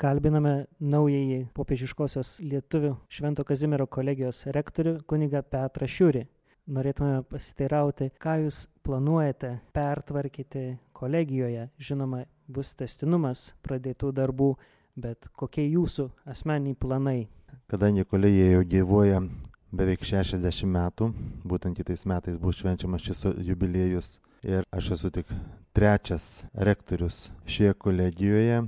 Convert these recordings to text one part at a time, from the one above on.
kalbiname naująjį popiežiškosios lietuvių Švento Kazimiero kolegijos rektorių kunigą Petrą Šiurį. Norėtume pasiteirauti, ką jūs planuojate pertvarkyti kolegijoje. Žinoma, bus tęstinumas pradėtų darbų, bet kokie jūsų asmeniniai planai? Kadangi kolegija jau gyvuoja beveik 60 metų, būtent kitais metais bus švenčiamas šis jubiliejus ir aš esu tik trečias rektorius šioje kolegijoje.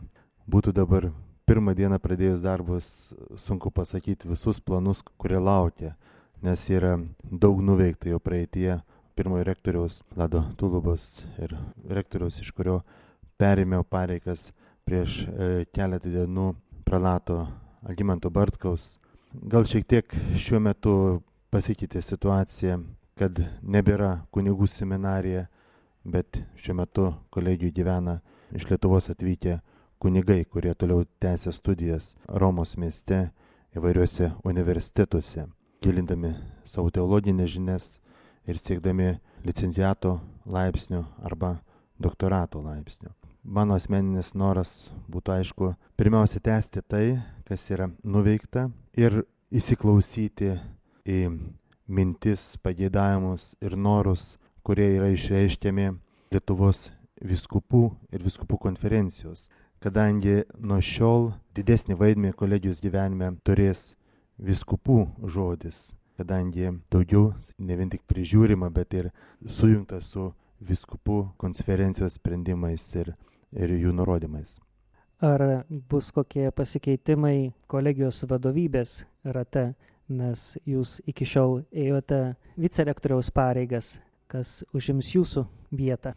Būtų dabar pirmą dieną pradėjus darbus sunku pasakyti visus planus, kurie laukia, nes yra daug nuveikta jau praeitie. Pirmojo rektoriaus Vlado Tulubos ir rektoriaus, iš kurio perėmiau pareigas prieš keletą dienų, prelato Algimanto Bartkaus. Gal šiek tiek šiuo metu pasikeitė situacija, kad nebėra kunigų seminarija, bet šiuo metu kolegijų gyvena iš Lietuvos atvykę kunigai, kurie toliau tęsia studijas Romos mieste įvairiuose universitetuose, gilindami savo teologinės žinias ir siekdami licenciato laipsnių arba doktorato laipsnių. Mano asmeninis noras būtų, aišku, pirmiausia tęsti tai, kas yra nuveikta ir įsiklausyti į mintis, pageidavimus ir norus, kurie yra išreiškiami Lietuvos vyskupų ir vyskupų konferencijos. Kadangi nuo šiol didesnį vaidmenį kolegijos gyvenime turės vyskupų žodis, kadangi daugiau ne vien tik prižiūrima, bet ir sujungta su vyskupų konferencijos sprendimais ir jų nurodymais. Ar bus kokie pasikeitimai kolegijos vadovybės rate, nes jūs iki šiol ėjote vicerektoriaus pareigas, kas užims jūsų vietą?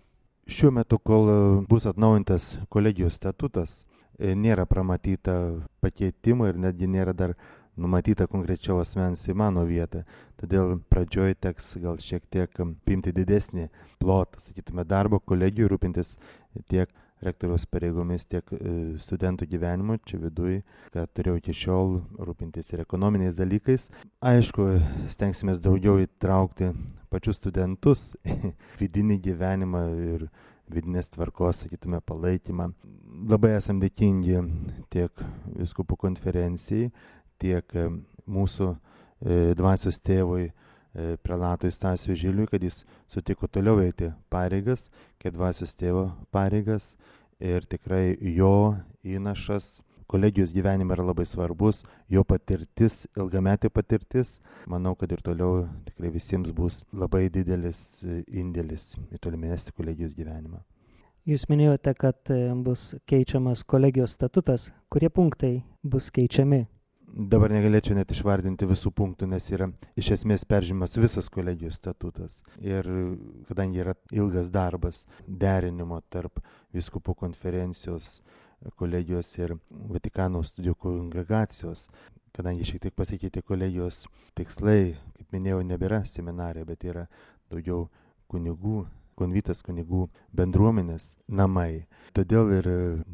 Šiuo metu, kol bus atnaujintas kolegijos statutas, nėra pramatyta pakeitimų ir netgi nėra dar numatyta konkrečio asmens į mano vietą. Todėl pradžioj teks gal šiek tiek priimti didesnį plotą, sakytume, darbo kolegijų, rūpintis tiek rektoriaus pareigomis, tiek studentų gyvenimu čia viduj, kad turėjau iki šiol rūpintis ir ekonominiais dalykais. Aišku, stengsimės daugiau įtraukti pačius studentus į vidinį gyvenimą ir vidinės tvarkos, sakytume, palaikymą. Labai esam dėkingi tiek vyskupų konferencijai, tiek mūsų dvasios tėvui prelatui Stasiui Žiliui, kad jis sutiko toliau eiti pareigas, kaip dvasios tėvo pareigas, ir tikrai jo įnašas kolegijos gyvenime yra labai svarbus, jo patirtis, ilgametė patirtis. Manau, kad ir toliau tikrai visiems bus labai didelis indėlis į tolimesnį kolegijos gyvenimą. Jūs minėjote, kad bus keičiamas kolegijos statutas. Kurie punktai bus keičiami? Dabar negalėčiau net išvardinti visų punktų, nes yra iš esmės peržiūrimas visas kolegijos statutas. Ir kadangi yra ilgas darbas derinimo tarp vyskupų konferencijos, kolegijos ir Vatikano studijų kongregacijos, kadangi šiek tiek pasikeitė kolegijos tikslai, kaip minėjau, nebėra seminarija, bet yra daugiau kunigų, konvitas kunigų bendruomenės namai. Todėl ir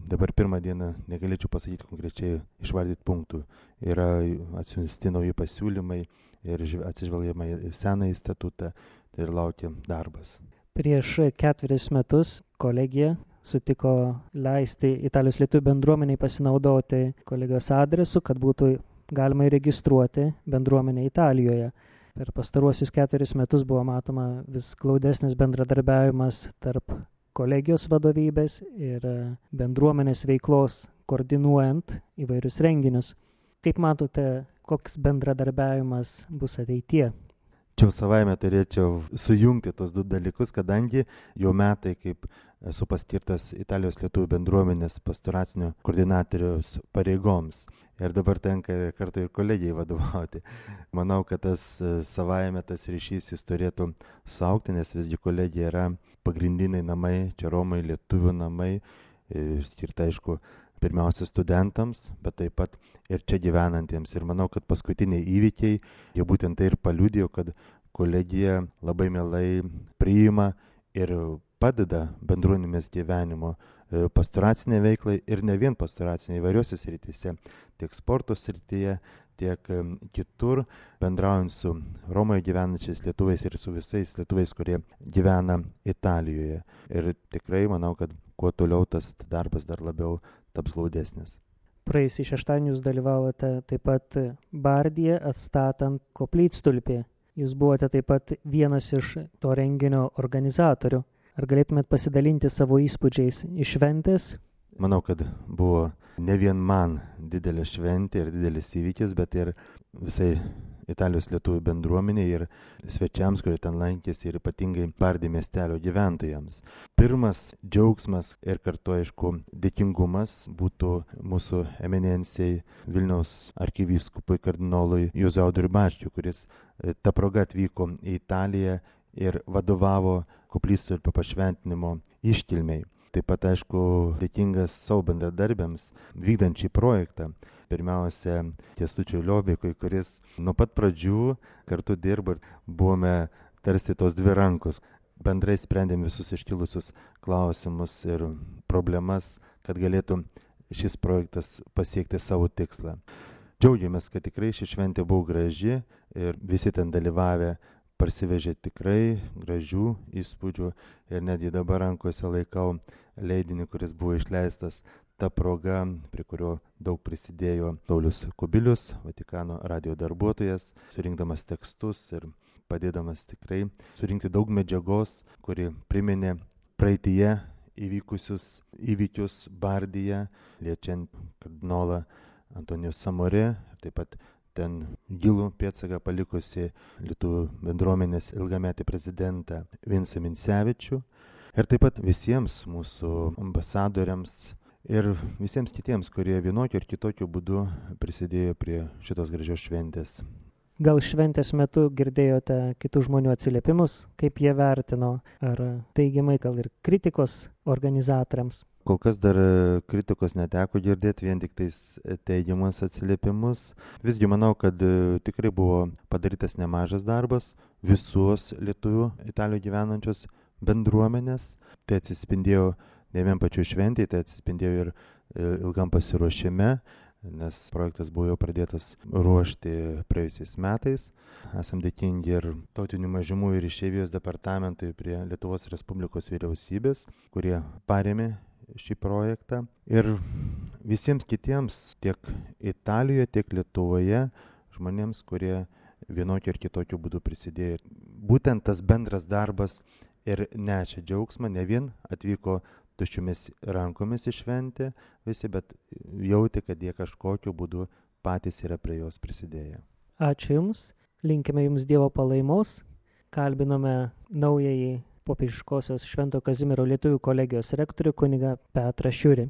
dabar pirmą dieną negalėčiau pasakyti konkrečiai išvardyti punktų. Yra atsiųsti nauji pasiūlymai ir atsižvelgiama į senąjį statutą, tai ir laukia darbas. Prieš 4 metus kolegija sutiko leisti Italijos lietuvių bendruomeniai pasinaudoti kolegijos adresu, kad būtų galima įregistruoti bendruomenę Italijoje. Per pastaruosius 4 metus buvo matoma vis glaudesnis bendradarbiavimas tarp kolegijos vadovybės ir bendruomenės veiklos, koordinuojant įvairius renginius. Kaip matote, koks bendradarbiavimas bus ateityje? Čia savaime turėčiau sujungti tos du dalykus, kadangi jau metai, kaip esu paskirtas Italijos lietuvių bendruomenės pastoracinio koordinatoriaus pareigoms. Ir dabar tenka kartu ir kolegijai vadovauti. Manau, kad tas savaime tas ryšys jis turėtų saugti, nes visgi kolegija yra pagrindiniai namai, čia Romai, lietuvių namai, skirta, aišku, pirmiausia studentams, bet taip pat ir čia gyvenantiems. Ir manau, kad paskutiniai įvykiai jau būtent tai ir paliudijo, kad kolegija labai mielai priima ir padeda bendruomenės gyvenimo pastoraciniai veiklai ir ne vien pastoraciniai, įvairiuose srityse, tiek sporto srityje, tiek kitur, bendraujant su Romoje gyvenančiais lietuviais ir su visais lietuviais, kurie gyvena Italijoje. Ir tikrai manau, kad kuo toliau tas darbas dar labiau taps glaudesnis. Praėjusį šeštadienį jūs dalyvavote taip pat Bardyje atstatant koplytstulpį. Jūs buvote taip pat vienas iš to renginio organizatorių. Ar galėtumėt pasidalinti savo įspūdžiais iš šventės? Manau, kad buvo ne vien man didelė šventė ir didelis įvykis, bet ir visai Italijos lietuvių bendruomeniai ir svečiams, kurie ten lankėsi, ir ypatingai Bardy miestelio gyventojams. Pirmas džiaugsmas ir kartu, aišku, dėkingumas būtų mūsų eminencijai Vilniaus arkivyskupui kardinolui Juozui Audriui Bačkiui, kuris ta proga atvyko į Italiją ir vadovavo koplytstulpio pašventinimo iškilmei. Taip pat, aišku, dėkingas savo bendradarbiams vykdant šį projektą. Pirmiausia, Kęstučiui Liobikui, kuris nuo pat pradžių kartu dirbo ir buvome tarsi tos dvi rankos. Bendrai sprendėm visus iškilusius klausimus ir problemas, kad galėtų šis projektas pasiekti savo tikslą. Džiaugiamės, kad tikrai ši šventė buvo graži ir visi ten dalyvavę parsivežė tikrai gražių įspūdžių ir netgi dabar rankose laikau leidinį, kuris buvo išleistas ta proga, prie kurio daug prisidėjo Paulius Kubilius, Vatikano radijo darbuotojas, surinkdamas tekstus ir padėdamas tikrai surinkti daug medžiagos, kuri priminė praeityje įvykusius įvykius Bardyje, liečiant kardinolą Antonijų Samorė, taip pat ten gilų pėdsaką palikusi lietuvių bendruomenės ilgametį prezidentą Vincą Minsevičių ir taip pat visiems mūsų ambasadoriams ir visiems kitiems, kurie vienokiu ar kitokiu būdu prisidėjo prie šitos gražios šventės. Gal šventės metu girdėjote kitų žmonių atsiliepimus, kaip jie vertino, ar teigiamai, gal ir kritikos organizatoriams? Kol kas dar kritikos neteko girdėti, vien tik tais teigiamas atsiliepimus. Visgi manau, kad tikrai buvo padarytas nemažas darbas visos lietuvių Italijoje gyvenančios bendruomenės. Tai atsispindėjo ne vien pačių šventėje, tai atsispindėjo ir ilgam pasiruošime, nes projektas buvo jau pradėtas ruošti praėjusiais metais. Esam dėkingi ir tautinių mažumų ir išeivijos departamentui prie Lietuvos Respublikos vyriausybės, kurie parėmė šį projektą. Ir visiems kitiems, tiek Italijoje, tiek Lietuvoje, žmonėms, kurie vienokiu ar kitokiu būdu prisidėjo. Būtent tas bendras darbas ir nešė džiaugsmą, ne vien atvyko tuščiomis rankomis į šventę visi, bet jauti, kad jie kažkokiu būdu patys yra prie jos prisidėję. Ačiū Jums, linkime Jums Dievo palaimos, kalbinome naująjį popiežiškosios Švento Kazimiero lietuvių kolegijos rektorių kunigą Petrą Šiurį.